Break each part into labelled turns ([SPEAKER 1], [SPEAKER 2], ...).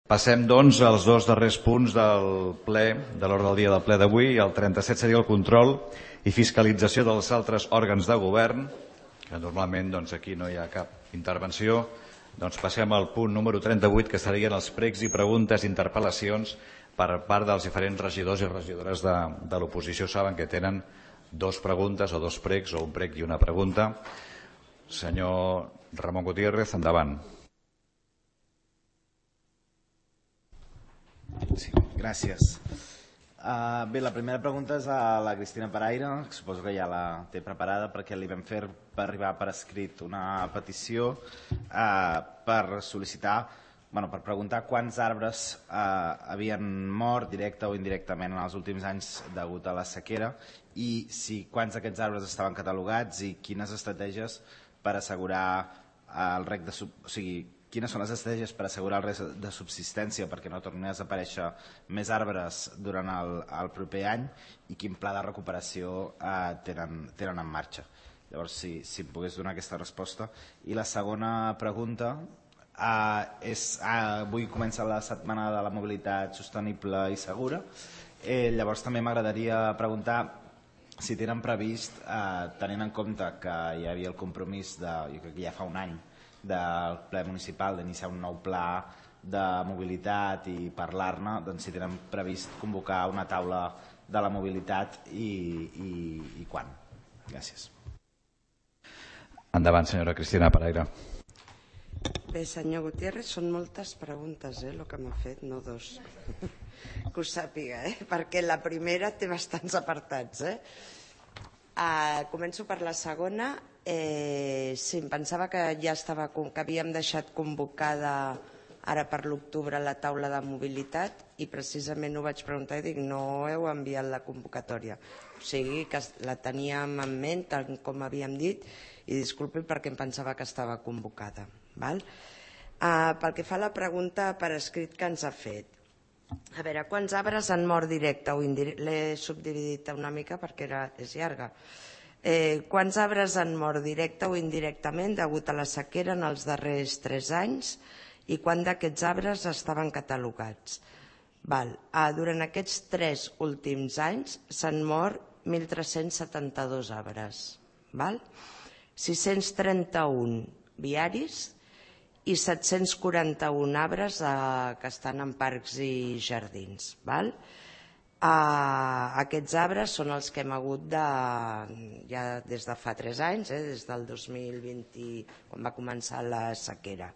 [SPEAKER 1] Passem, doncs, als dos darrers punts del ple, de l'ordre del dia del ple d'avui. El 37 seria el control i fiscalització dels altres òrgans de govern, que normalment aquí no hi ha cap intervenció. Doncs passem al punt número 38, que serien els pregs i preguntes i interpel·lacions per part dels diferents regidors i regidores de l'oposició. Saben que tenen dues preguntes o dos pregs, o un prec i una pregunta. Senyor Ramon Gutiérrez, endavant.
[SPEAKER 2] Sí, gràcies. Bé, la primera pregunta és a la Cristina Paraire, que suposo que ja la té preparada, perquè li vam fer arribar per escrit una petició per sol·licitar, per preguntar quants arbres havien mort directe o indirectament en els últims anys degut a la sequera i quants d'aquests arbres estaven catalogats i quines estratègies per assegurar el rec de... O sigui, quines són les estratègies per assegurar el rec de subsistència perquè no tornin a desaparèixer més arbres durant el proper any i quin pla de recuperació tenen en marxa. Llavors, si em pogués donar aquesta resposta. I la segona pregunta és... Avui comença la setmana de la mobilitat sostenible i segura. Llavors també m'agradaria preguntar si tenen previst, tenint en compte que hi havia el compromís jo crec que ja fa un any del ple municipal d'iniciar un nou pla de mobilitat i parlar-ne, doncs si tenen previst convocar una taula de la mobilitat i quan. Gràcies.
[SPEAKER 1] Endavant, senyora Cristina Paraire.
[SPEAKER 3] Bé, senyor Gutiérrez, són moltes preguntes, el que m'ha fet, no dos. Que ho sàpiga, perquè la primera té bastants apartats. Començo per la segona. Sí, em pensava que ja que havíem deixat convocada ara per l'octubre la taula de mobilitat i precisament ho vaig preguntar i dic no heu enviat la convocatòria. O sigui que la teníem en ment, tal com havíem dit, i disculpi perquè em pensava que estava convocada. Pel que fa a la pregunta per escrit que ens ha fet, a veure, quants arbres han mort directe o indirecte? L'he subdividit una mica perquè és llarga. Quants arbres han mort directe o indirectament degut a la sequera en els darrers 3 anys i quants d'aquests arbres estaven catalogats? Durant aquests 3 últims anys s'han mort 1.372 arbres, 631 viaris i 741 arbres que estan en parcs i jardins. Aquests arbres són els que hem hagut ja des de fa 3 anys, des del 2020, quan va començar la sequera.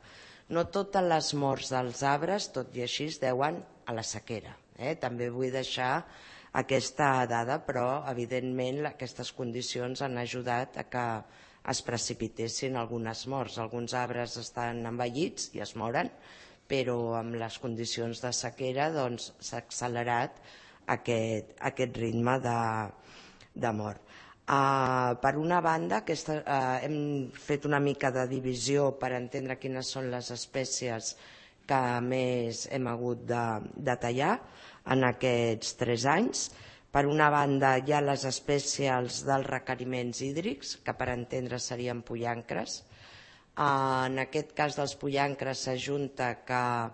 [SPEAKER 3] No totes les morts dels arbres, tot i així, es deuen a la sequera. També vull deixar aquesta dada, però evidentment aquestes condicions han ajudat a que es precipitessin algunes morts. Alguns arbres estan envellits i es moren, però amb les condicions de sequera s'ha accelerat aquest ritme de mort. Per una banda, hem fet una mica de divisió per entendre quines són les espècies que més hem hagut de tallar en aquests 3 anys. Per una banda, hi ha les espècies dels requeriments hídrics, que per entendre serien pollancres. En aquest cas dels pollancres s'ajunta que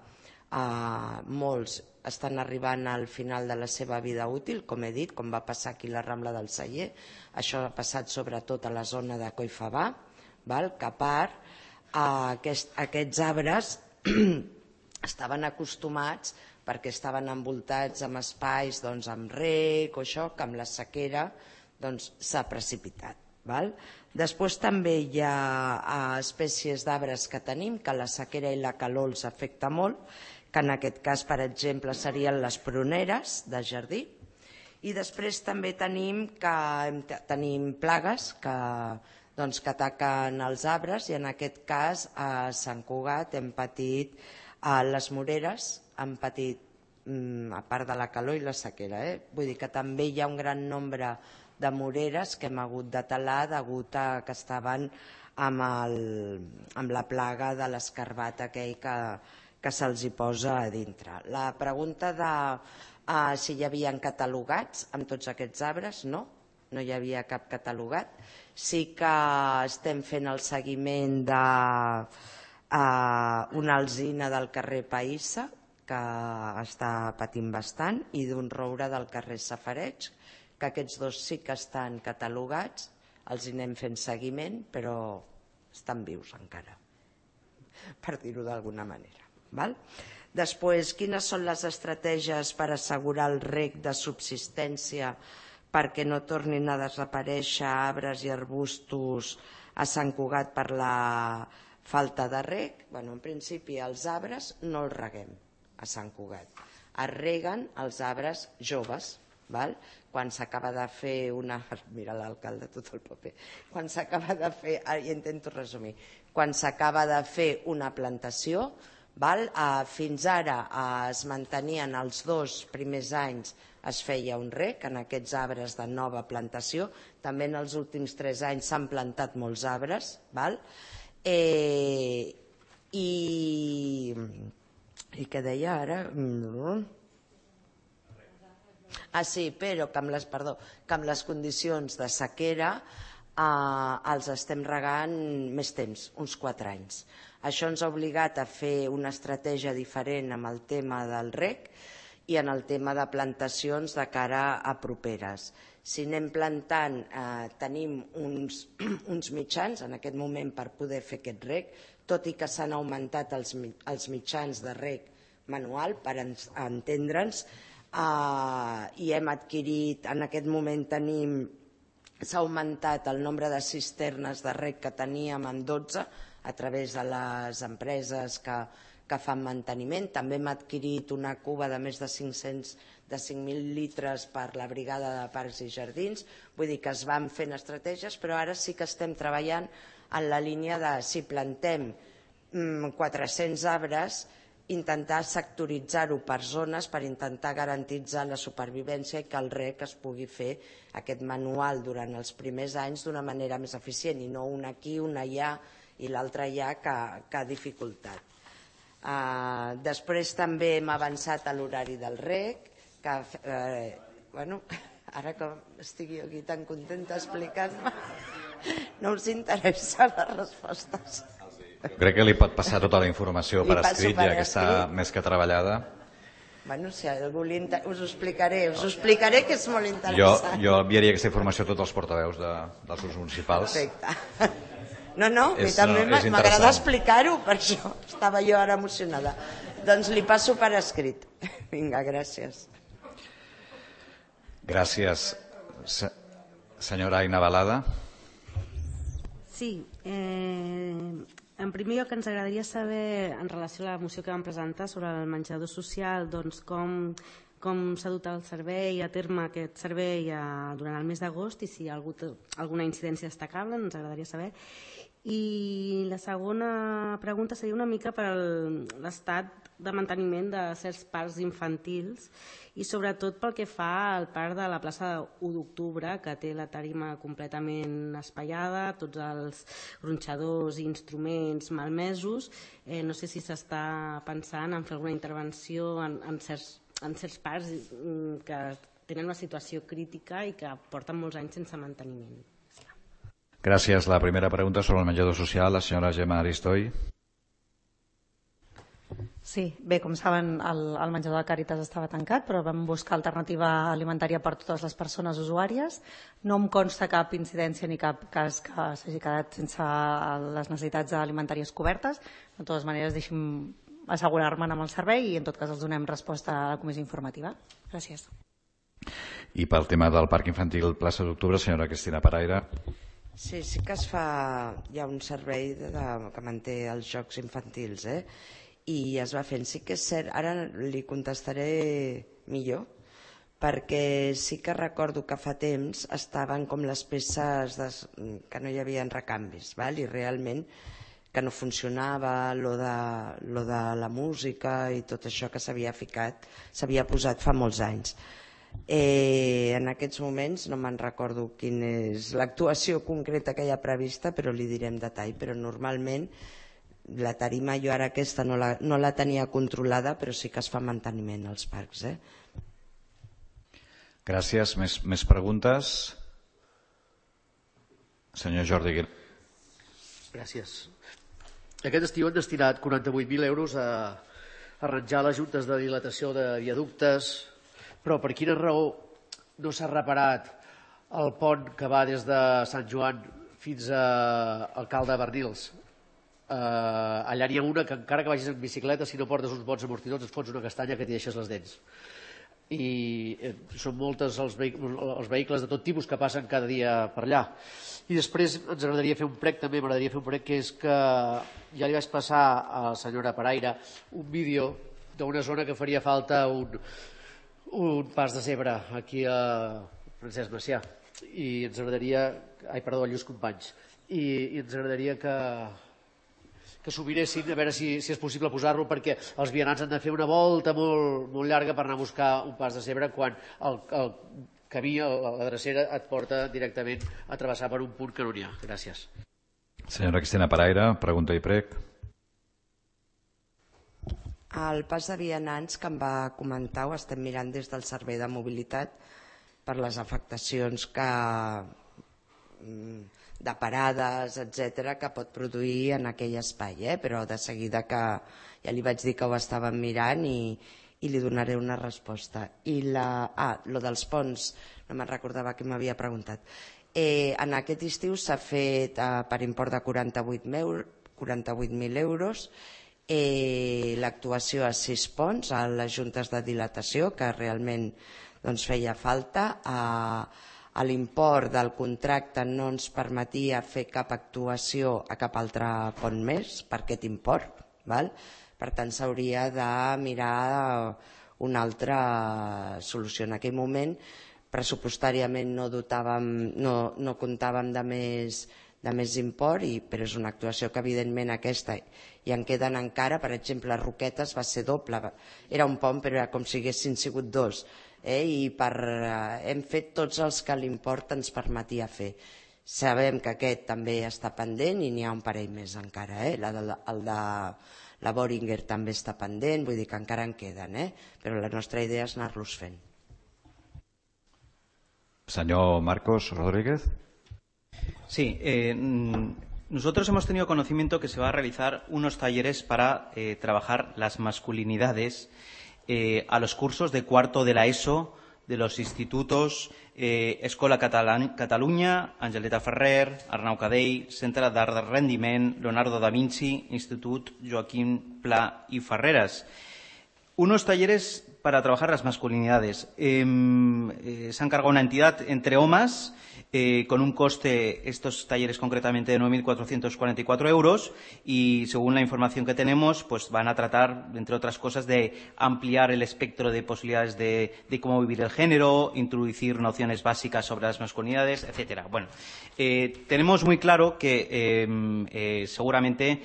[SPEAKER 3] molts estan arribant al final de la seva vida útil, com he dit, com va passar aquí a la Rambla del Celler. Això ha passat sobretot a la zona de Collfabà, que a part aquests arbres estaven acostumats perquè estaven envoltats amb espais amb rec o això, que amb la sequera s'ha precipitat. Després també hi ha espècies d'arbres que tenim que la sequera i la calor els afecta molt, que en aquest cas, per exemple, serien les pruneres de jardí. I després també tenim plagues que ataquen els arbres i en aquest cas a Sant Cugat hem patit les moreres, han patit a part de la calor i la sequera. Vull dir que també hi ha un gran nombre de moreres que hem hagut de talar degut a que estaven amb la plaga de l'escarbat aquell que se'ls hi posa a dintre. La pregunta de si hi havia catalogats amb tots aquests arbres, no hi havia cap catalogat. Sí que estem fent el seguiment d'una alzina del carrer Païssa, que està patint bastant, i d'un roure del carrer Safareig, que aquests dos sí que estan catalogats, els hi anem fent seguiment, però estan vius encara, per dir-ho d'alguna manera. Val? Després, quines són les estratègies per assegurar el reg de subsistència perquè no tornin a desaparèixer arbres i arbustos a Sant Cugat per la falta de reg? En principi, els arbres no els reguem a Sant Cugat. Es reguen els arbres joves, quan s'acaba de fer una... Mira l'alcalde, tot el paper. Quan s'acaba de fer... Ja intento resumir. Quan s'acaba de fer una plantació, fins ara es mantenien els 2 primers anys, es feia un reg en aquests arbres de nova plantació. També en els últims 3 anys s'han plantat molts arbres. I què deia ara? Sí, però que amb les condicions de sequera els estem regant més temps, uns 4 anys. Això ens ha obligat a fer una estratègia diferent amb el tema del reg i en el tema de plantacions de cara a properes. Si anem plantant, tenim uns mitjans en aquest moment per poder fer aquest reg, tot i que s'han augmentat els mitjans de reg manual, per entendre'ns, i hem adquirit, en aquest moment s'ha augmentat el nombre de cisternes de reg que teníem en 12 a través de les empreses que fan manteniment. També hem adquirit una cuba de més de 5.000 litres per la brigada de parcs i jardins. Vull dir que es van fent estratègies, però ara sí que estem treballant en la línia de, si plantem 400 arbres, intentar sectoritzar-ho per zones per intentar garantitzar la supervivència i que el reg es pugui fer aquest manual durant els primers anys d'una manera més eficient i no un aquí, un allà i l'altre allà que ha dificultat. Després també hem avançat a l'horari del reg, que ara que estigui aquí tan contenta explicant-me, no us interessa les respostes.
[SPEAKER 1] Crec que li pot passar tota la informació per escrit, ja que està més que treballada.
[SPEAKER 3] Si algú us ho explicaré, que és molt interessant.
[SPEAKER 1] Jo enviaria aquesta informació a tots els portaveus dels grups municipals.
[SPEAKER 3] Perfecte. No, a mi també m'agrada explicar-ho, per això estava jo ara emocionada. Doncs li passo per escrit. Vinga, gràcies.
[SPEAKER 1] Gràcies. Senyora Aina Balada.
[SPEAKER 4] Sí, en primer lloc ens agradaria saber, en relació a la moció que vam presentar sobre el menjador social, doncs com s'ha dut el servei a terme aquest servei durant el mes d'agost i si hi ha hagut alguna incidència destacable, ens agradaria saber. I la segona pregunta seria una mica per l'estat de manteniment de certs parcs infantils i sobretot pel que fa al parc de la plaça 1 d'octubre, que té la tarima completament espaiada, tots els gronxadors i instruments malmesos. No sé si s'està pensant en fer alguna intervenció en certs parcs que tenen una situació crítica i que porten molts anys sense manteniment.
[SPEAKER 1] Gràcies. La primera pregunta sobre el menjador social, la senyora Gemma Aristoi.
[SPEAKER 5] Sí, bé, com saben, el menjador de Càritas estava tancat, però vam buscar alternativa alimentària per totes les persones usuàries. No em consta cap incidència ni cap cas que s'hagi quedat sense les necessitats alimentàries cobertes. De totes maneres, deixi'm assegurar-me'n amb el servei i en tot cas els donem resposta a la comissió informativa. Gràcies.
[SPEAKER 1] I pel tema del parc infantil plaça d'Octubre, senyora Cristina Paraire.
[SPEAKER 3] Sí que es fa, hi ha un servei que manté els jocs infantils, i es va fent. Sí que és cert, ara li contestaré millor, perquè sí que recordo que fa temps estaven com les peces que no hi havia recanvis, i realment que no funcionava lo de la música i tot això que s'havia ficat, s'havia posat fa molts anys. En aquests moments no me'n recordo quina és l'actuació concreta que hi ha prevista, però li diré en detall. Però normalment la tarima jo ara aquesta no la tenia controlada, però sí que es fa manteniment als parcs.
[SPEAKER 1] Gràcies. Més preguntes? Senyor Jordi Aguilar.
[SPEAKER 6] Gràcies. Aquest estiu han destinat 48.000 euros a arranjar les juntes de dilatació de viaductes, però per quina raó no s'ha reparat el pont que va des de Sant Joan fins a Alcalde de Bernils? Allà n'hi ha una que encara que vagis en bicicleta, si no portes uns bons amortidors et fots una castanya que t'hi deixes les dents. I són moltes els vehicles de tot tipus que passen cada dia per allà. I després ens agradaria fer un prec també, m'agradaria fer un prec, que és que ja li vaig passar a la senyora Paraire un vídeo d'una zona que faria falta un pas de zebra aquí a Francesc Macià, i ens agradaria, a Lluís Companys, i ens agradaria que s'ho miressin a veure si és possible posar-lo, perquè els vianants han de fer una volta molt llarga per anar a buscar un pas de zebra quan el camí, la drecera, et porta directament a travessar per un punt que no n'hi ha. Gràcies.
[SPEAKER 1] Senyora Cristina Paraire, pregunta i prec.
[SPEAKER 3] El pas de vianants que em va comentar ho estem mirant des del Servei de Mobilitat per les afectacions de parades, etc., que pot produir en aquell espai, però de seguida que ja li vaig dir que ho estàvem mirant i li donaré una resposta. I lo dels ponts, no me'n recordava que m'havia preguntat. En aquest estiu s'ha fet per import de 48.000 euros l'actuació a 6 ponts, a les juntes de dilatació, que realment feia falta. L'import del contracte no ens permetia fer cap actuació a cap altre pont més per aquest import. Per tant, s'hauria de mirar una altra solució. En aquell moment, pressupostàriament no comptàvem de més import, però és una actuació que evidentment aquesta i en queden encara. Per exemple, a Roquetes va ser doble, era un pont però era com si haguessin sigut dos, i hem fet tots els que l'import ens permetia fer. Sabem que aquest també està pendent i n'hi ha un parell més encara, el de la Boehringer també està pendent, vull dir que encara en queden, però la nostra idea és anar-los fent.
[SPEAKER 1] Señor Marcos Rodríguez.
[SPEAKER 7] Sí, nosotros hemos tenido conocimiento que se va a realizar unos talleres para trabajar las masculinidades a los cursos de cuarto de la ESO de los institutos Escola Catalunya, Angeleta Ferrer, Arnau Cadell, Centre d'Art de Rendiment, Leonardo da Vinci, Institut Joaquín Pla y Ferreras. Unos talleres para trabajar las masculinidades. Se ha encargado una entidad entre OMAS con un coste, estos talleres concretamente, de 9.444 euros, y según la información que tenemos, pues van a tratar, entre otras cosas, de ampliar el espectro de posibilidades de cómo vivir el género, introducir nociones básicas sobre las masculinidades, etcétera. Bueno, tenemos muy claro que seguramente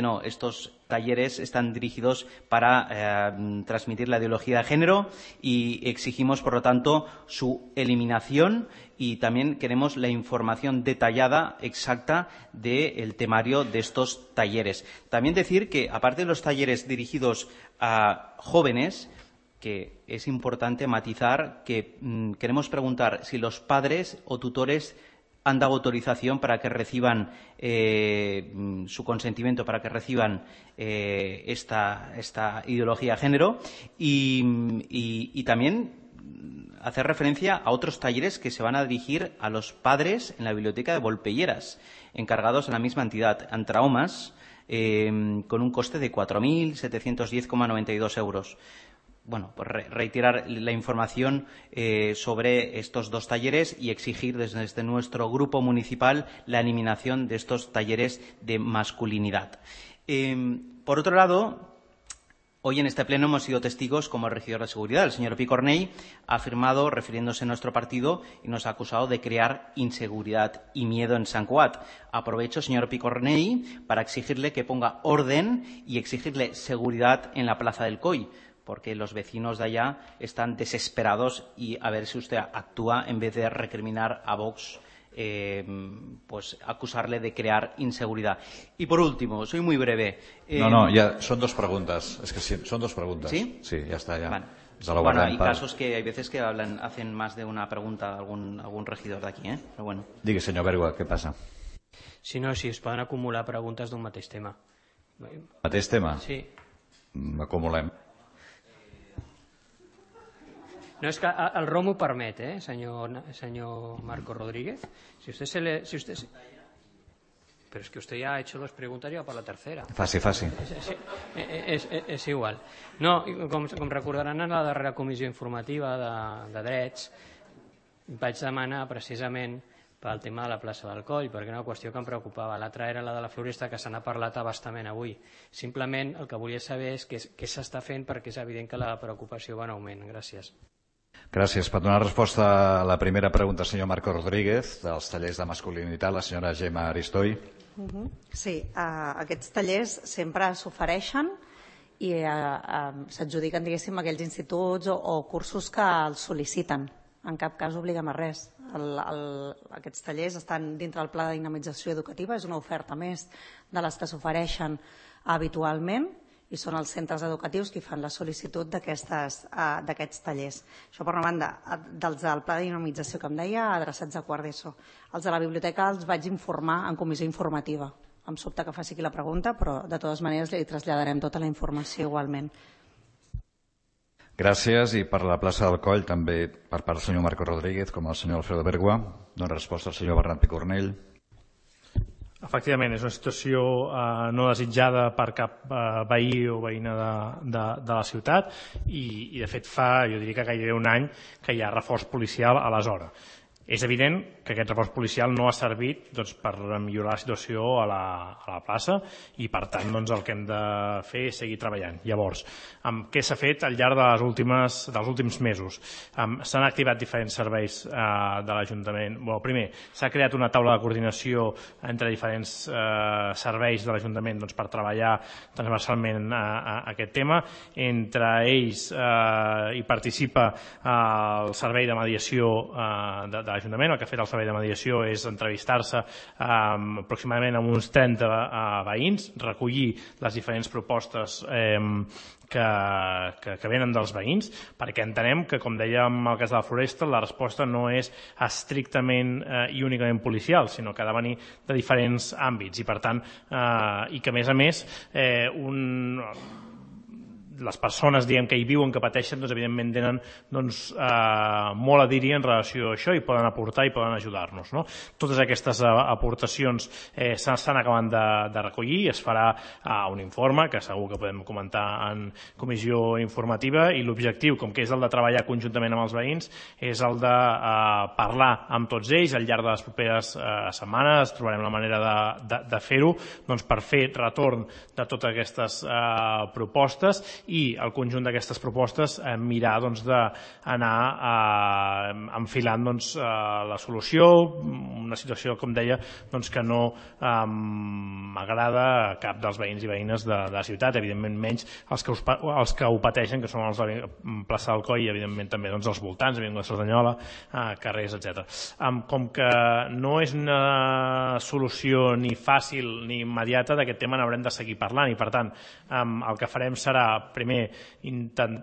[SPEAKER 7] no, estos talleres están dirigidos para transmitir la ideología de género y exigimos, por lo tanto, su eliminación, y también queremos la información detallada, exacta, del temario de estos talleres. También decir que, aparte de los talleres dirigidos a jóvenes, que es importante matizar que queremos preguntar si los padres o tutores han dado autorización para que reciban su consentimiento, para que reciban esta ideología de género, y también hacer referencia a otros talleres que se van a dirigir a los padres en la biblioteca de Volpelleras, encargados en la misma entidad, Antraomas, con un coste de 4.710,92 euros. Bueno, pues reiterar la información sobre estos dos talleres y exigir desde nuestro grupo municipal la eliminación de estos talleres de masculinidad. Por otro lado, hoy en este pleno hemos sido testigos, como el regidor de Seguridad, el señor Picornell, ha afirmado, refiriéndose a nuestro partido, y nos ha acusado de crear inseguridad y miedo en Sant Cugat. Aprovecho, señor Picornell, para exigirle que ponga orden y exigirle seguridad en la Plaza del Coll, porque los vecinos de allá están desesperados, y a ver si usted actúa en vez de recriminar a Vox, pues acusarle de crear inseguridad. Y por último, soy muy breve.
[SPEAKER 1] No, ya son dos preguntas. Es que sí, son dos preguntas.
[SPEAKER 7] ¿Sí?
[SPEAKER 1] Sí, ya está. Ya.
[SPEAKER 7] Vale.
[SPEAKER 1] Bueno,
[SPEAKER 7] hay casos que hay veces que hacen más de una pregunta algún regidor de aquí, Pero bueno.
[SPEAKER 1] Digui, senyor Bergua, què passa?
[SPEAKER 8] Si no, si es poden acumular preguntes d'un mateix tema.
[SPEAKER 1] Mateix tema?
[SPEAKER 8] Sí.
[SPEAKER 1] acumulem.
[SPEAKER 8] No, es que el ROM ho permet, señor Marco Rodríguez. Si usted pero es que usted ya ha hecho dos preguntas y va per la tercera.
[SPEAKER 1] Faci.
[SPEAKER 8] És igual. No, com recordaran, en la darrera comissió informativa de drets vaig demanar precisament pel tema de la plaça del Coll, perquè era una qüestió que em preocupava. L'altra era la de la floresta, que se n'ha parlat abastament avui. Simplement el que volia saber és què s'està fent, perquè és evident que la preocupació va en augment. Gràcies.
[SPEAKER 1] Gràcies. Per donar resposta a la primera pregunta, senyor Marco Rodríguez, dels tallers de masculinitat, la senyora Gemma Aristoy.
[SPEAKER 5] Sí, aquests tallers sempre s'ofereixen i s'adjudiquen, diguéssim, aquells instituts o cursos que els sol·liciten. En cap cas obliguem a res. Aquests tallers estan dintre del pla de dinamització educativa, és una oferta més de les que s'ofereixen habitualment i són els centres educatius qui fan la sol·licitud d'aquests tallers. Això per una banda, dels del pla de dinamització que em deia, adreçats a quart d'ESO. Els de la biblioteca els vaig informar en comissió informativa. Em sobta que faci aquí la pregunta, però de totes maneres li traslladarem tota la informació igualment.
[SPEAKER 1] Gràcies. I per la plaça del Coll, també per part del senyor Marco Rodríguez, com el senyor Alfredo Bergua. Dóna resposta al senyor Bernat Picornell.
[SPEAKER 9] Efectivament, és una situació no desitjada per cap veí o veïna de la ciutat i de fet jo diria que gairebé un any que hi ha reforç policial a la zona. És evident que aquest reforç policial no ha servit per millorar la situació a la plaça i per tant el que hem de fer és seguir treballant. Llavors, què s'ha fet al llarg dels últims mesos? S'han activat diferents serveis de l'Ajuntament. Primer, s'ha creat una taula de coordinació entre diferents serveis de l'Ajuntament per treballar transversalment aquest tema. Entre ells hi participa el servei de mediació de l'Ajuntament. El que ha fet el servei de mediació és entrevistar-se aproximadament amb uns 30 veïns, recollir les diferents propostes que venen dels veïns, perquè entenem que, com dèiem en el cas de la floresta, la resposta no és estrictament i únicament policial, sinó que ha de venir de diferents àmbits i per tant, i que a més les persones que hi viuen, que pateixen, evidentment tenen molt a dir-hi en relació a això i poden aportar i poden ajudar-nos. Totes aquestes aportacions s'estan acabant de recollir i es farà un informe que segur que podem comentar en comissió informativa i l'objectiu, com que és el de treballar conjuntament amb els veïns, és el de parlar amb tots ells al llarg de les properes setmanes. Trobarem la manera de fer-ho per fer retorn de totes aquestes propostes i el conjunt d'aquestes propostes mirar d'anar enfilant la solució, una situació, com deia, que no agrada a cap dels veïns i veïnes de la ciutat, evidentment menys els que ho pateixen, que són els de plaça del Coll i evidentment també els voltants, Avinguda Cerdanyola, carrers, etc. Com que no és una solució ni fàcil ni immediata, d'aquest tema n'haurem de seguir parlant i per tant el que farem serà primer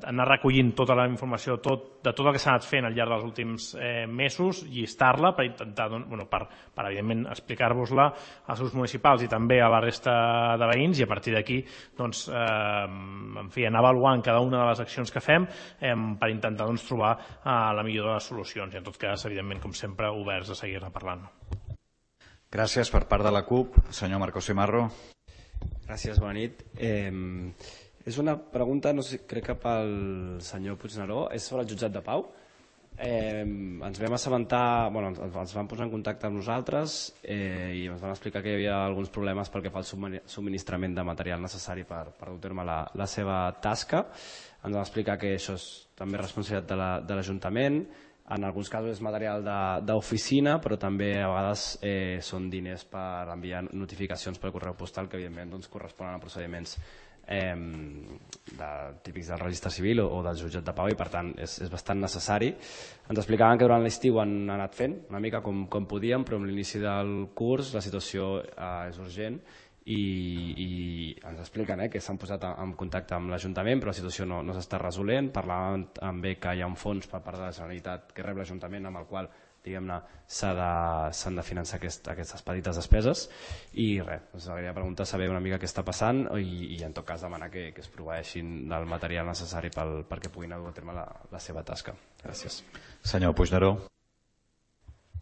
[SPEAKER 9] anar recollint tota la informació de tot el que s'ha anat fent al llarg dels últims mesos, llistar-la per intentar, per evidentment explicar-vos-la als grups municipals i també a la resta de veïns i a partir d'aquí anar avaluant cada una de les accions que fem per intentar trobar la millor de les solucions i en tot cas, evidentment, com sempre, oberts a seguir-ne parlant.
[SPEAKER 1] Gràcies. Per part de la CUP, senyor Marcos Cimarro.
[SPEAKER 10] Gràcies, bona nit. És una pregunta, no sé, crec que pel senyor Puigneró, és sobre el jutjat de Pau. Ens vam assabentar, ens van posar en contacte amb nosaltres i ens van explicar que hi havia alguns problemes pel que fa al subministrament de material necessari per dur a terme la seva tasca. Ens van explicar que això és també responsabilitat de l'Ajuntament, en alguns casos és material d'oficina, però també a vegades són diners per enviar notificacions per correu postal que evidentment corresponen a procediments típics del registre civil o del jutjat de Pau i per tant és bastant necessari. Ens explicaven que durant l'estiu han anat fent una mica com podíem, però amb l'inici del curs la situació és urgent i ens expliquen que s'han posat en contacte amb l'Ajuntament però la situació no s'està resolent. Parlaven també que hi ha un fons per part de la Generalitat que rep l'Ajuntament amb el qual diguem-ne, s'han de finançar aquestes petites despeses. I res, us agradaria preguntar, saber una mica què està passant i en tot cas demanar que es proveeixin del material necessari perquè puguin dur a terme la seva tasca. Gràcies.
[SPEAKER 1] Senyor Puigneró.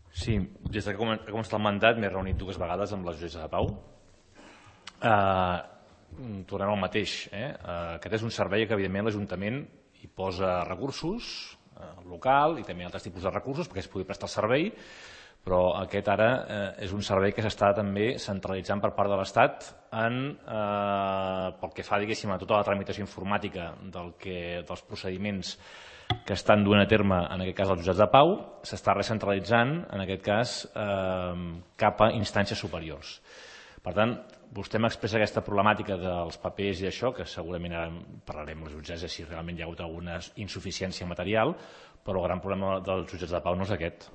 [SPEAKER 11] Sí, des que ha començat el mandat m'he reunit 2 vegades amb la jutgessa de Pau. Tornem al mateix. Aquest és un servei que evidentment l'Ajuntament hi posa recursos, local i també altres tipus de recursos perquè es pugui prestar el servei, però aquest ara és un servei que s'està també centralitzant per part de l'Estat pel que fa, diguéssim, a tota la tramitació informàtica dels procediments que estan duent a terme, en aquest cas, els jutjats de Pau, s'està recentralitzant, en aquest cas, cap a instàncies superiors. Per tant, vostè m'expressa aquesta problemàtica dels papers i això, que segurament ara parlarem amb les jutgesses si realment hi ha hagut alguna insuficiència material, però el gran problema dels jutjats de Pau no és aquest.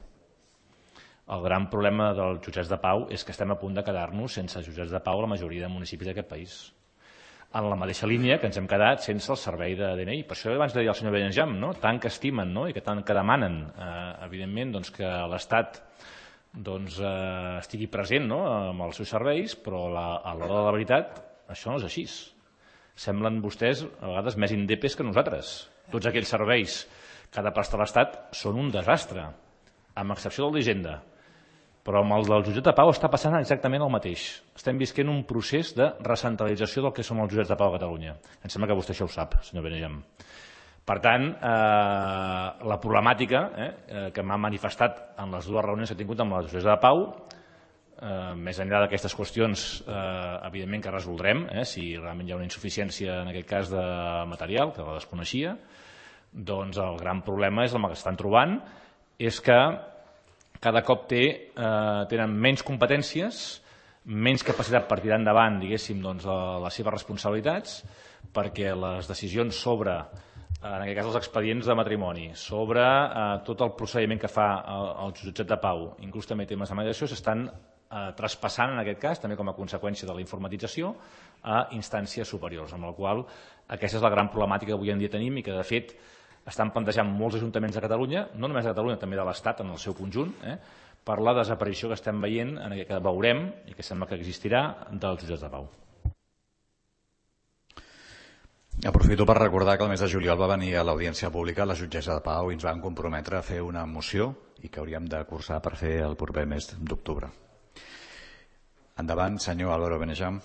[SPEAKER 11] El gran problema dels jutjats de Pau és que estem a punt de quedar-nos sense jutjats de Pau a la majoria de municipis d'aquest país. En la mateixa línia que ens hem quedat sense el servei de DNI. Per això abans de dir al senyor Benjam, tant que estimen i que tant que demanen, evidentment, que l'Estat estigui present amb els seus serveis, però a l'hora de la veritat això no és així. Semblen vostès a vegades més indepes que nosaltres. Tots aquells serveis que ha de prestar l'Estat són un desastre, amb excepció del d'Hisenda. Però amb el del jutjat de Pau està passant exactament el mateix. Estem visquent un procés de recentralització del que són els jutjats de Pau a Catalunya. Em sembla que vostè això ho sap, senyor Benejam. Per tant, la problemàtica que m'ha manifestat en les 2 reunions que he tingut amb la jutgessa de Pau, més enllà d'aquestes qüestions, evidentment que resoldrem, si realment hi ha una insuficiència en aquest cas de material, que la desconeixia, doncs el gran problema és el que estan trobant, és que cada cop tenen menys competències, menys capacitat per tirar endavant, diguéssim, les seves responsabilitats, perquè les decisions sobre, en aquest cas, els expedients de matrimoni, sobre tot el procediment que fa el jutjat de Pau, inclús també temes de mediació, s'estan traspassant, en aquest cas, també com a conseqüència de la informatització, a instàncies superiors, amb la qual aquesta és la gran problemàtica que avui en dia tenim i que, de fet, estan plantejant molts ajuntaments de Catalunya, no només de Catalunya, també de l'Estat en el seu conjunt, per la desaparició que estem veient, que veurem i que sembla que existirà, dels jutjats de Pau.
[SPEAKER 1] Aprofito per recordar que el mes de juliol va venir a l'audiència pública la jutgessa de Pau i ens van comprometre a fer una moció i que hauríem de cursar per fer el proper mes d'octubre. Endavant, senyor Álvaro Benejam.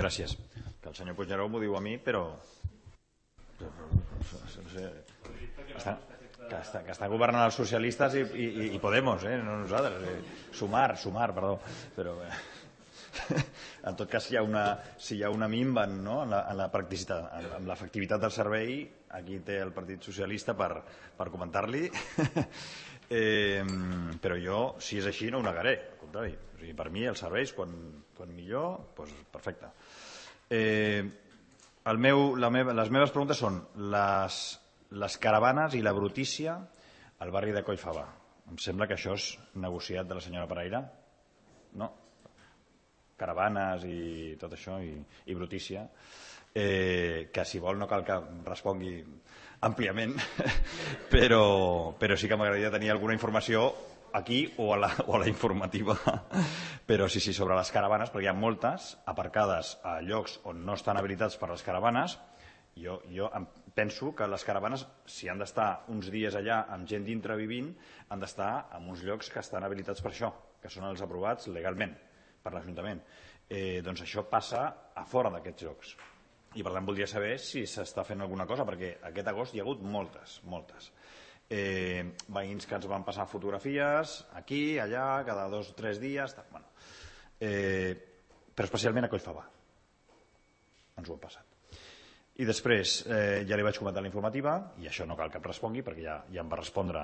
[SPEAKER 12] Gràcies. Que el senyor Puigneró m'ho diu a mi, però... que està governant els socialistes i Podemos, no nosaltres. Sumar, perdó. Però... en tot cas, si hi ha una minva en la practicitat, en l'efectivitat del servei, aquí té el Partit Socialista per comentar-li, però jo, si és així, no ho negaré, al contrari. O sigui, per mi els serveis, quan millor, doncs perfecte. Les meves preguntes són les caravanes i la brutícia al barri de Collfabà. Em sembla que això és negociat de la senyora Pereira, no? Caravanes i tot això, i brutícia, que si vol no cal que respongui àmpliament, però sí que m'agradaria tenir alguna informació aquí o a la informativa, però sí, sobre les caravanes, perquè hi ha moltes aparcades a llocs on no estan habilitats per les caravanes. Jo penso que les caravanes, si han d'estar uns dies allà amb gent dintre vivint, han d'estar en uns llocs que estan habilitats per això, que són els aprovats legalment per l'Ajuntament. Doncs això passa a fora d'aquests llocs. I per tant voldria saber si s'està fent alguna cosa, perquè aquest agost hi ha hagut moltes. Veïns que ens van passar fotografies aquí, allà, cada 2 o 3 dies, però especialment a Collfabà ens ho han passat. I després ja li vaig comentar la informativa, i això no cal que em respongui perquè ja em va respondre,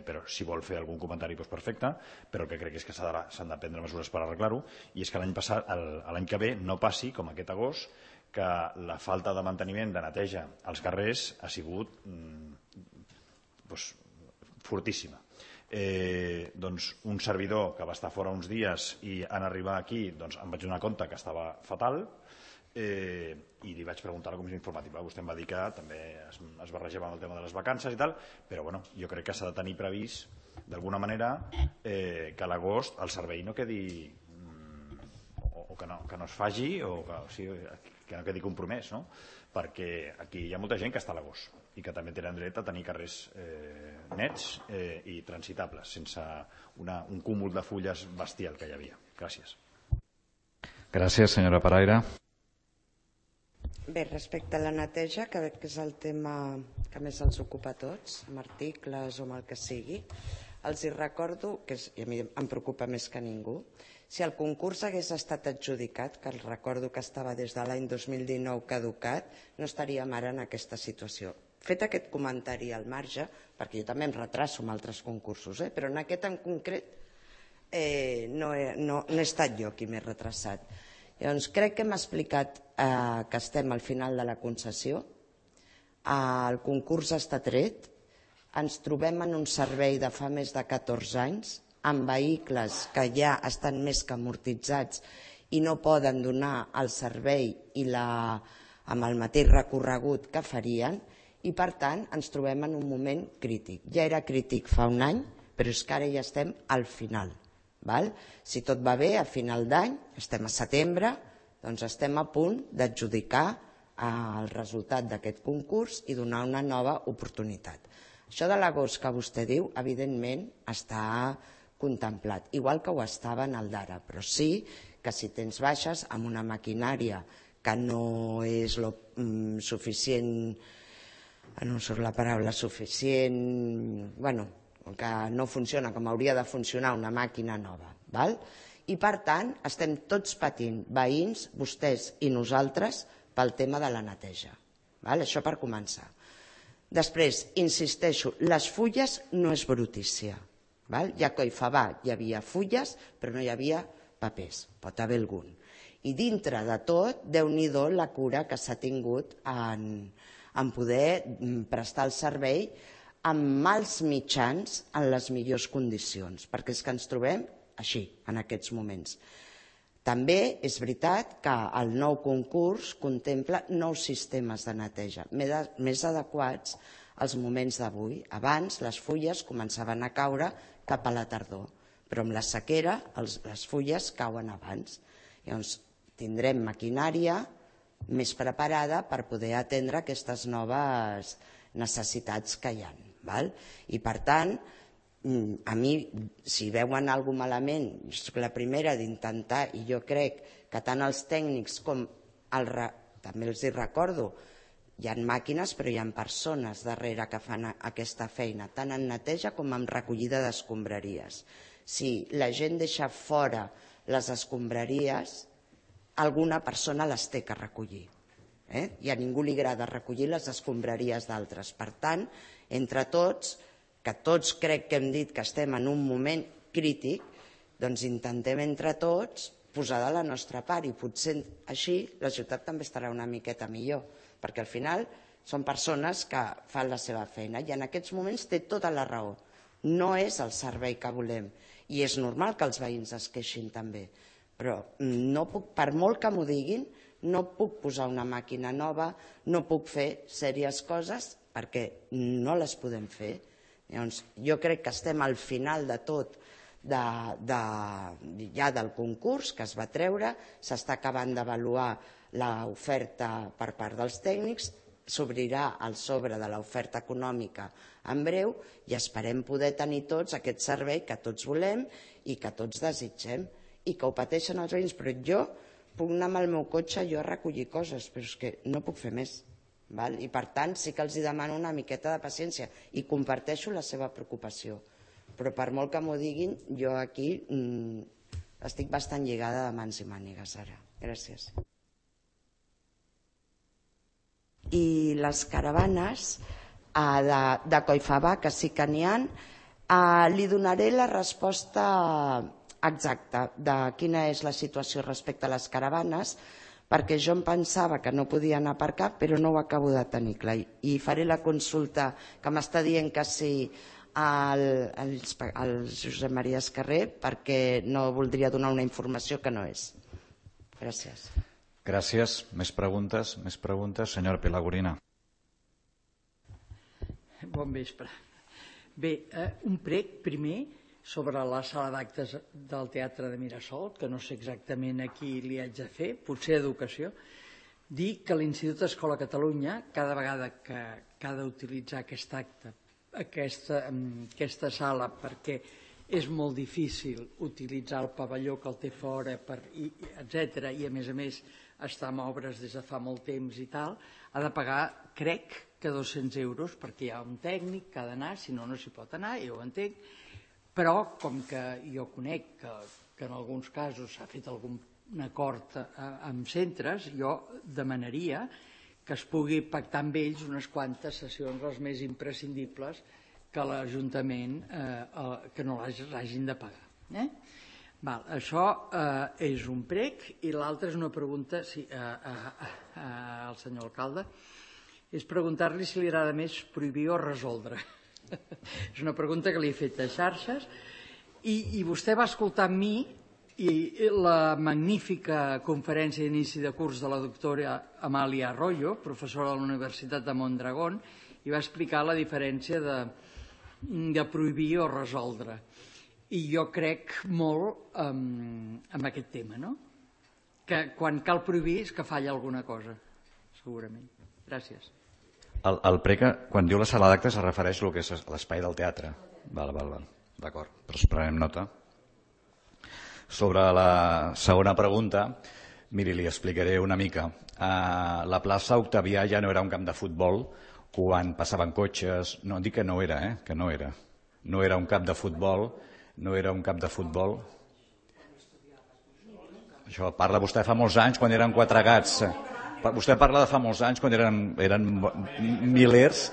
[SPEAKER 12] però si vol fer algun comentari doncs perfecte, però el que crec és que s'han de prendre mesures per arreglar-ho, i és que l'any que ve no passi com aquest agost, que la falta de manteniment, de neteja als carrers ha sigut fortíssima. Doncs un servidor que va estar fora uns dies i en arribar aquí em vaig donar compte que estava fatal, i li vaig preguntar a la comissió informativa. Vostè em va dir que també es barrejava amb el tema de les vacances i tal, però bueno, jo crec que s'ha de tenir previst d'alguna manera que a l'agost el servei no quedi o que no es faci o que no quedi compromès, no? Perquè aquí hi ha molta gent que està a l'agost i que també tenen dret a tenir carrers nets i transitables sense un cúmul de fulles bestial que hi havia. Gràcies.
[SPEAKER 1] Gràcies, senyora Paraire.
[SPEAKER 3] Bé, respecte a la neteja, que veig que és el tema que més els ocupa a tots, amb articles o amb el que sigui, els hi recordo, que a mi em preocupa més que ningú, si el concurs hagués estat adjudicat, que els recordo que estava des de l'any 2019 caducat, no estaríem ara en aquesta situació. Fet aquest comentari al marge, perquè jo també em retraso amb altres concursos, però en aquest en concret no he estat jo qui m'he retrasat. Llavors, crec que hem explicat que estem al final de la concessió, el concurs està tret, ens trobem en un servei de fa més de 14 anys, amb vehicles que ja estan més que amortitzats i no poden donar el servei amb el mateix recorregut que farien, i per tant ens trobem en un moment crític. Ja era crític fa un any, però és que ara ja estem al final. Si tot va bé, a final d'any, estem a setembre, doncs estem a punt d'adjudicar el resultat d'aquest concurs i donar una nova oportunitat. Això de l'agost que vostè diu, evidentment, està contemplat, igual que ho estava en el d'ara, però sí que si tens baixes amb una maquinària que no és suficient, no em surt la paraula, suficient, que no funciona com hauria de funcionar una màquina nova. I per tant estem tots patint, veïns, vostès i nosaltres, pel tema de la neteja. Això per començar. Després, insisteixo, les fulles no és brutícia. Ja a Collfabà hi havia fulles, però no hi havia papers, pot haver algun. I dintre de tot, Déu-n'hi-do la cura que s'ha tingut en poder prestar el servei amb mals mitjans en les millors condicions, perquè és que ens trobem així, en aquests moments. També és veritat que el nou concurs contempla nous sistemes de neteja, més adequats als moments d'avui. Abans les fulles començaven a caure cap a la tardor, però amb la sequera les fulles cauen abans. Llavors tindrem maquinària més preparada per poder atendre aquestes noves necessitats que hi ha. I per tant, a mi, si veuen alguna cosa malament, jo soc la primera d'intentar, i jo crec que tant els tècnics com també els hi recordo, hi ha màquines però hi ha persones darrere que fan aquesta feina, tant en neteja com en recollida d'escombraries. Si la gent deixa fora les escombraries, alguna persona les té que recollir. I a ningú li agrada recollir les escombraries d'altres. Per tant, entre tots, que tots crec que hem dit que estem en un moment crític, doncs intentem entre tots posar de la nostra part i potser així la ciutat també estarà una miqueta millor, perquè al final són persones que fan la seva feina i en aquests moments té tota la raó. No és el servei que volem i és normal que els veïns es queixin també, però per molt que m'ho diguin, no puc posar una màquina nova, no puc fer sèries coses perquè no les podem fer. Llavors, jo crec que estem al final de tot ja del concurs que es va treure, s'està acabant d'avaluar l'oferta per part dels tècnics, s'obrirà el sobre de l'oferta econòmica en breu i esperem poder tenir tots aquest servei que tots volem i que tots desitgem i que ho pateixen els veïns, però jo puc anar amb el meu cotxe jo a recollir coses, però és que no puc fer més. I per tant sí que els demano una miqueta de paciència i comparteixo la seva preocupació, però per molt que m'ho diguin, jo aquí estic bastant lligada de mans i mànigues ara. Gràcies. I les caravanes de Collfabà, que sí que n'hi ha, li donaré la resposta exacta de quina és la situació respecte a les caravanes, perquè jo em pensava que no podien aparcar, però no ho acabo de tenir clar. I faré la consulta que m'està dient que sí al Josep Maria Escarrer, perquè no voldria donar una informació que no és. Gràcies.
[SPEAKER 1] Gràcies. Més preguntes? Senyora Pelagorina.
[SPEAKER 13] Bon vespre. Bé, un prec primer sobre la sala d'actes del Teatre de Mirasol, que no sé exactament a qui li haig de fer, potser educació, dir que l'Institut Escola Catalunya, cada vegada que ha d'utilitzar aquesta sala, perquè és molt difícil utilitzar el pavelló que el té fora, etc. I a més està en obres des de fa molt temps i tal, ha de pagar, crec, que 200 euros, perquè hi ha un tècnic que ha d'anar, si no, no s'hi pot anar, jo ho entenc, però com que jo conec que en alguns casos s'ha fet algun acord amb centres, jo demanaria que es pugui pactar amb ells unes quantes sessions, les més imprescindibles, que l'Ajuntament que no l'hagin de pagar. Això és un prec, i l'altre és una pregunta al senyor alcalde, és preguntar-li si li agrada més prohibir o resoldre. És una pregunta que li he fet a xarxes, i vostè va escoltar amb mi la magnífica conferència d'inici de curs de la doctora Amàlia Arroyo, professora de la Universitat de Mondragón, i va explicar la diferència de prohibir o resoldre. I jo crec molt en aquest tema, no? Que quan cal prohibir és que falla alguna cosa, segurament. Gràcies.
[SPEAKER 1] El prec, quan diu la sala d'actes, es refereix al que és l'espai del teatre. D'acord, però es prenem nota. Sobre la segona pregunta, miri, li explicaré una mica. La plaça Octavià ja no era un camp de futbol quan passaven cotxes. No, dic que no era, que no era. No era un camp de futbol, no era un camp de futbol. Això parla vostè fa molts anys, quan eren 4 gats. Vostè parla de fa molts anys, quan eren milers.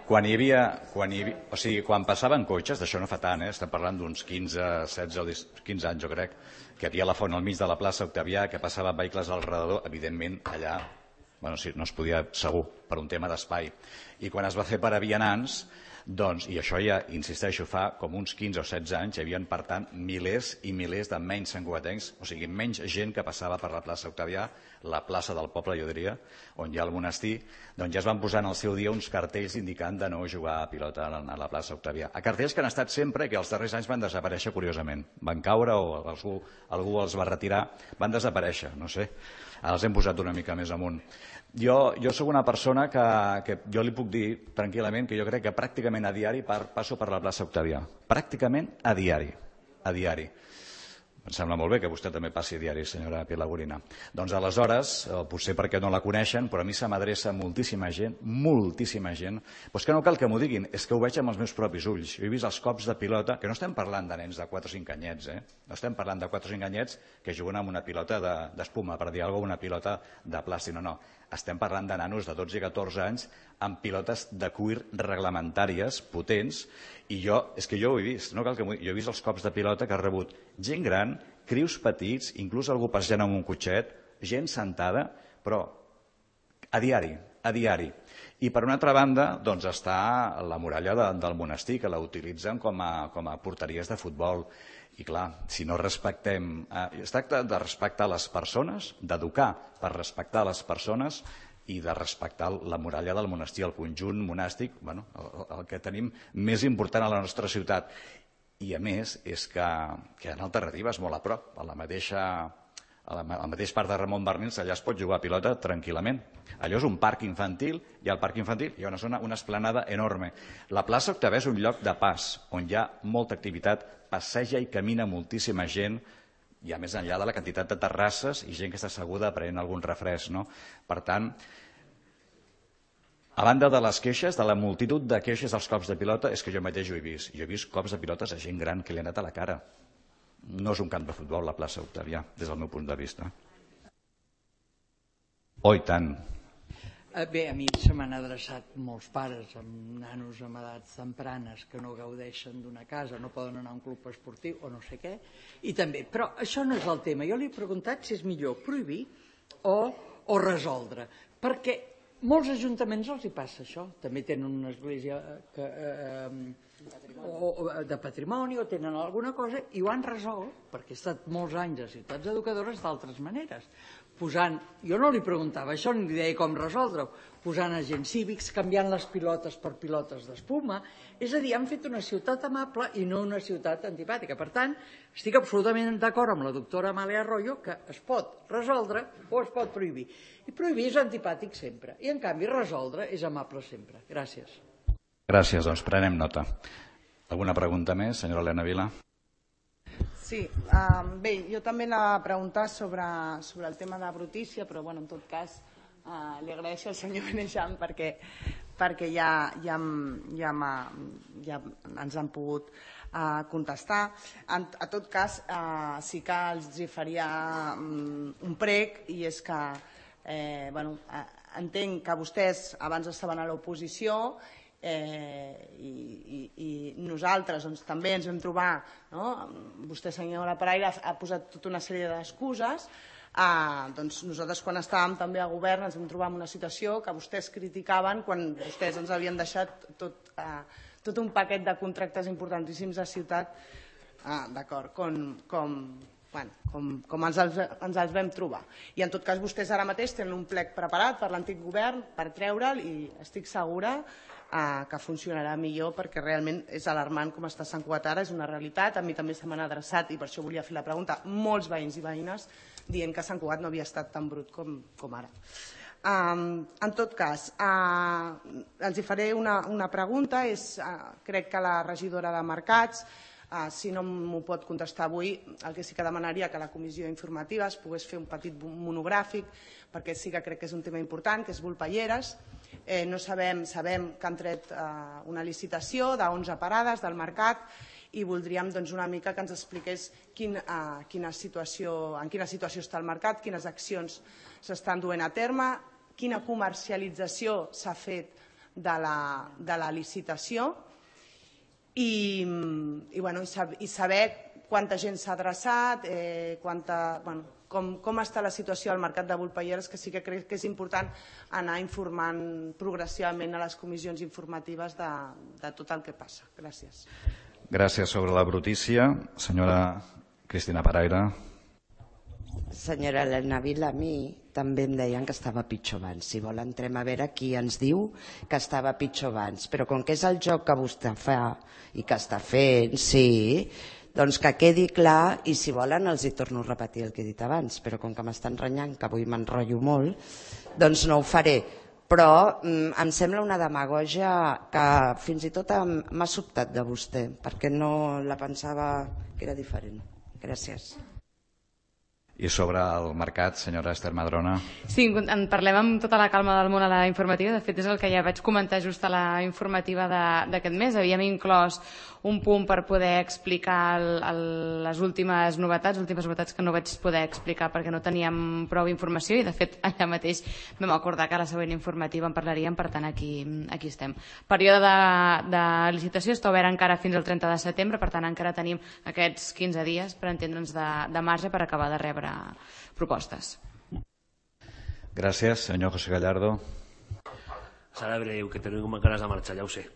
[SPEAKER 1] Quan passaven cotxes, d'això no fa tant, estem parlant d'uns 15, 16 o 15 anys, jo crec, que hi havia la font al mig de la plaça Octavià, que passaven vehicles al redador, evidentment allà no es podia segur, per un tema d'espai. I quan es va fer per a vianants, doncs, i això ja, insisteixo, fa com uns 15 o 16 anys, hi havia, per tant, milers i milers de menys santcugatencs, o sigui, menys gent que passava per la plaça Octavià, la plaça del poble, jo diria, on hi ha el monestir, doncs ja es van posar en el seu dia uns cartells indicant de no jugar a pilota a la plaça Octavià. A cartells que han estat sempre, que els darrers anys van desaparèixer curiosament. Van caure o algú els va retirar, van desaparèixer, no sé. Ara els hem posat una mica més amunt. Jo soc una persona que jo li puc dir tranquil·lament que jo crec que pràcticament a diari passo per la plaça Octavià. Pràcticament a diari. Em sembla molt bé que vostè també passi a diari, senyora Pelagorina. Doncs aleshores, potser perquè no la coneixen, però a mi se m'adreça moltíssima gent, doncs que no cal que m'ho diguin, és que ho veig amb els meus propis ulls. Jo he vist els cops de pilota, que no estem parlant de nens de 4 o 5 anyets, no estem parlant de 4 o 5 anyets que juguen amb una pilota d'espuma, per dir alguna cosa, una pilota de plàstic, no. Estem parlant de nanos de 12 i 14 anys amb pilotes de cuir reglamentàries, potents, i és que jo ho he vist, no cal que jo he vist els cops de pilota que ha rebut gent gran, crius petits, inclús algú passejant amb un cotxet, gent sentada, però a diari. I per una altra banda doncs està la muralla del monestir, que la utilitzen com a porteries de futbol. I clar, si no respectem... Es tracta de respectar les persones, d'educar per respectar les persones i de respectar la muralla del monestir, el conjunt monàstic, el que tenim més important a la nostra ciutat. I a més, és que hi ha alternatives molt a prop, al mateix parc de Ramon Barnils, allà es pot jugar a pilota tranquil·lament. Allò és un parc infantil, i al parc infantil hi ha una esplanada enorme. La plaça Octavià és un lloc de pas, on hi ha molta activitat, passeja i camina moltíssima gent, ja més enllà de la quantitat de terrasses i gent que està asseguda prenent algun refresc. Per tant, a banda de les queixes, de la multitud de queixes dels cops de pilota, és que jo mateix ho he vist. Jo he vist cops de pilotes a gent gran que li ha anat a la cara. No és un camp de futbol, la plaça Octavià, des del meu punt de vista. Oh, i tant.
[SPEAKER 13] Bé, a mi se m'han adreçat molts pares amb nanos amb edats tempranes que no gaudeixen d'una casa, no poden anar a un club esportiu o no sé què, i també, però això no és el tema. Jo li he preguntat si és millor prohibir o resoldre, perquè molts ajuntaments els hi passa això. També tenen una església o de patrimoni o tenen alguna cosa i ho han resolt, perquè he estat molts anys a ciutats educadores d'altres maneres, posant, jo no li preguntava això ni li deia com resoldre-ho, posant agents cívics, canviant les pilotes per pilotes d'espuma, és a dir, han fet una ciutat amable i no una ciutat antipàtica. Per tant, estic absolutament d'acord amb la doctora Amàlia Arroyo que es pot resoldre o es pot prohibir. I prohibir és antipàtic sempre, i en canvi resoldre és amable sempre. Gràcies.
[SPEAKER 1] Gràcies, doncs prenem nota. Alguna pregunta més, senyora Elena Vila?
[SPEAKER 14] Sí, bé, jo també anava a preguntar sobre el tema de brutícia, però en tot cas li agraeixo al senyor Benejam perquè ja ens han pogut contestar. En tot cas, sí que els faria un prec, i és que entenc que vostès abans estaven a l'oposició i nosaltres també ens vam trobar, vostè senyora Paraire ha posat tota una sèrie d'excuses, nosaltres quan estàvem també a govern ens vam trobar en una situació que vostès criticaven quan vostès ens havien deixat tot un paquet de contractes importantíssims de ciutat, d'acord, com ens els vam trobar. I en tot cas vostès ara mateix tenen un plec preparat per l'antic govern per treure'l i estic segura que funcionarà millor perquè realment és alarmant com està Sant Cugat ara, és una realitat. A mi també se m'han adreçat, i per això volia fer la pregunta, molts veïns i veïnes dient que Sant Cugat no havia estat tan brut com ara. En tot cas, els faré una pregunta. Crec que la regidora de Mercats, si no m'ho pot contestar avui, el que sí que demanaria que la comissió informativa es pogués fer un petit monogràfic, perquè sí que crec que és un tema important, que és Volpelleres. No sabem que han tret una licitació d'11 parades del mercat i voldríem una mica que ens expliqués en quina situació està el mercat, quines accions s'estan duent a terme, quina comercialització s'ha fet de la licitació i saber quanta gent s'ha adreçat, com està la situació al mercat de Volpelleres, que sí que crec que és important anar informant progressivament a les comissions informatives de tot el que passa. Gràcies.
[SPEAKER 1] Gràcies. Sobre la brutícia, senyora Cristina Paraire.
[SPEAKER 3] Senyora Elena Vila, a mi també em deien que estava pitjor abans. Si vol entrem a veure qui ens diu que estava pitjor abans. Però com que és el joc que vostè fa i que està fent, sí, doncs que quedi clar, i si volen els hi torno a repetir el que he dit abans, però com que m'estan renyant, que avui m'enrotllo molt, doncs no ho faré. Però em sembla una demagògia que fins i tot m'ha sobtat de vostè, perquè no la pensava que era diferent. Gràcies.
[SPEAKER 1] I sobre el mercat, senyora Esther Madrona?
[SPEAKER 15] Sí, en parlem amb tota la calma del món a la informativa. De fet, és el que ja vaig comentar just a la informativa d'aquest mes. Havíem inclòs un punt per poder explicar les últimes novetats que no vaig poder explicar perquè no teníem prou informació i, de fet, allà mateix vam acordar que a la següent informativa en parlaríem, per tant, aquí estem. El període de licitació està obert encara fins al 30 de setembre, per tant, encara tenim aquests 15 dies per entendre'ns de marge per acabar de rebre propostes.
[SPEAKER 1] Gràcies. Senyor José Gallardo.
[SPEAKER 16] Serà breu, que tenim ganes de marxar, ja ho sé.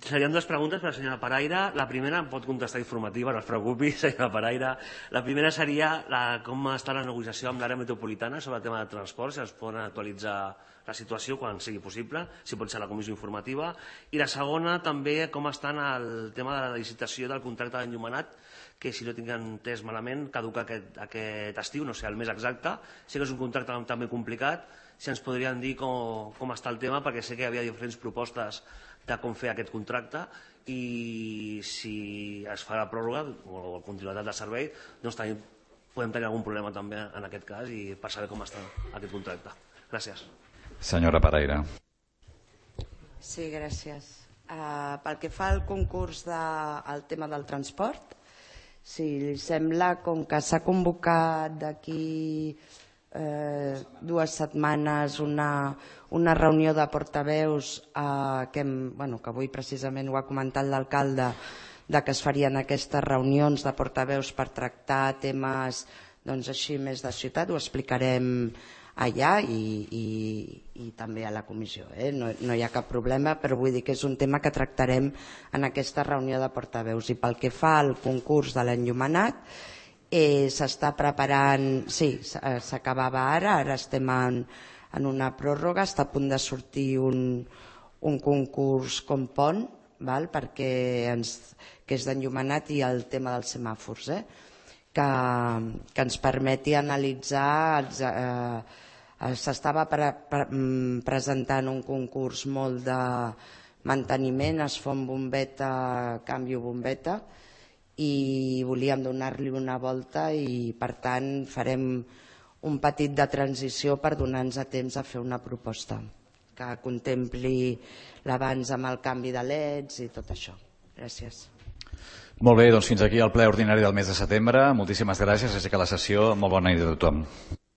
[SPEAKER 16] Serien dues preguntes per la senyora Paraire. La primera em pot contestar informativa, no es preocupi, senyora Paraire. La primera seria com està la negociació amb l'àrea metropolitana sobre el tema de transport, si es poden actualitzar la situació quan sigui possible, si pot ser a la comissió informativa. I la segona també com està el tema de la licitació del contracte d'enllumenat, que si no tinc entès malament caduca aquest estiu, no sé el més exacte. Sé que és un contracte també complicat, si ens podrien dir com està el tema, perquè sé que hi havia diferents propostes de com fer aquest contracte i si es fa la pròrroga o la continuïtat de servei, doncs podem tenir algun problema també en aquest cas i per saber com està aquest contracte. Gràcies.
[SPEAKER 1] Senyora Paraire.
[SPEAKER 3] Sí, gràcies. Pel que fa al concurs del tema del transport, si li sembla, com que s'ha convocat d'aquí 2 setmanes una reunió de portaveus que avui precisament ho ha comentat l'alcalde, que es farien aquestes reunions de portaveus per tractar temes així més de ciutat, ho explicarem allà i també a la comissió. No hi ha cap problema, però vull dir que és un tema que tractarem en aquesta reunió de portaveus. I pel que fa al concurs de l'enllumenat, s'està preparant, sí, s'acabava ara estem en una pròrroga, està a punt de sortir un concurs com pont, perquè que és d'enllumenat i el tema dels semàfors, que ens permeti analitzar. S'estava presentant un concurs molt de manteniment, es fa un bombeta, canvio bombeta, i volíem donar-li una volta i per tant farem un petit de transició per donar-nos a temps a fer una proposta que contempli l'abans amb el canvi de leds i tot això. Gràcies.
[SPEAKER 1] Molt bé, doncs fins aquí el ple ordinari del mes de setembre. Moltíssimes gràcies, aixeca la sessió. Molt bona nit a tothom.